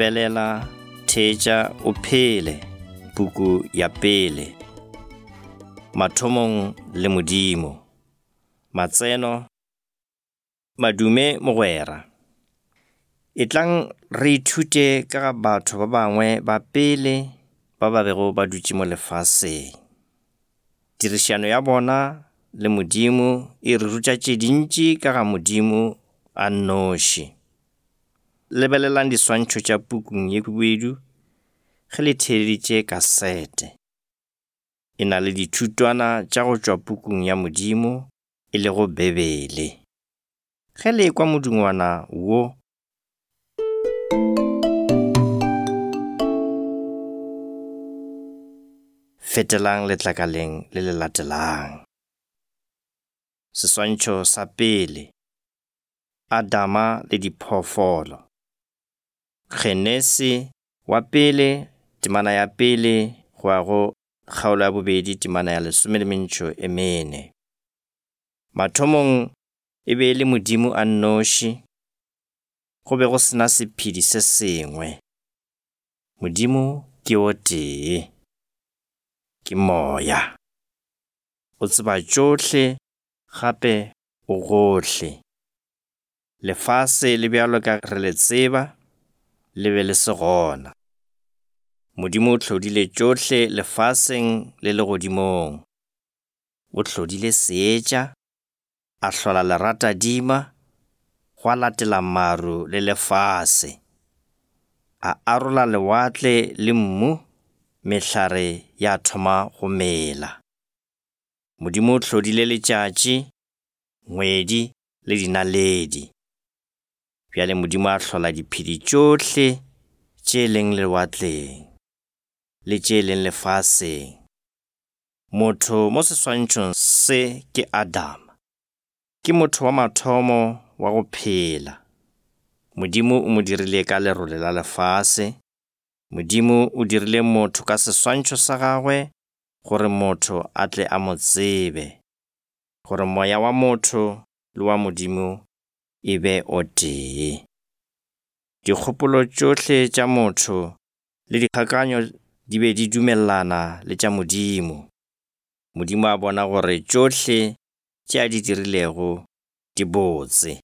Lebelela, theetša o phele, puku ya pele. Mathomong le Modimo. Matseno, Madume mogwera. Etlang re ithute ka ga batho ba bangwe ba pele ba ba bego ba dutše mo lefaseng. Tirišano ya bona le Modimo e re ruta tše dintši ka ga Modimo a nnoši. Lebelelang diswantšho tša pukung ye khubedu ge le theeleditše kasete. E na le dithutwana tša go tšwa pukung ya Modimo e lego Bibele. Ge le ekwa modungwana wo, fetelang letlakaleng le le latelang. Seswantšho sa pele. Adama le diphoofolo. Genesi wa pele, temana ya pele go ya go kgaolo ya bobedi temana ya lesome le mentšo e mene. Mathomong e be e le Modimo a nnoši, go be go se na sephedi se sengwe. Modimo ke o tee, ke moya. O tseba tšohle gape o gohle. Lefase le bjalo ka re le tseba, le be le se gona. Modimo o hlodile tšohle lefaseng le legodimong. O hlodile seetša, a hlola leratadima, gwa latela maru le lefase. A arola lewatle le mmu, mehlare ya thoma go mela. Modimo o hlodile letšatši, ngwedi le dinaledi. Bjale Modimo a hlola diphedi tšohle tše leng lewatleng le tše leng lefaseng. Motho mo seswantšhong se ke Adama. Ke motho wa mathomo wa go phela. Modimo o mo dirile ka lerole la lefase. Modimo o dirile motho ka seswantšho sa gagwe gore motho a tle a mo tsebe, gore moya wa motho le wa Modimo e be o tee. Dikgopolo tšohle tša motho le dikgakanyo di be di dumelelana le tša Modimo. Modimo a bona gore tšohle tše a di dirilego di botse.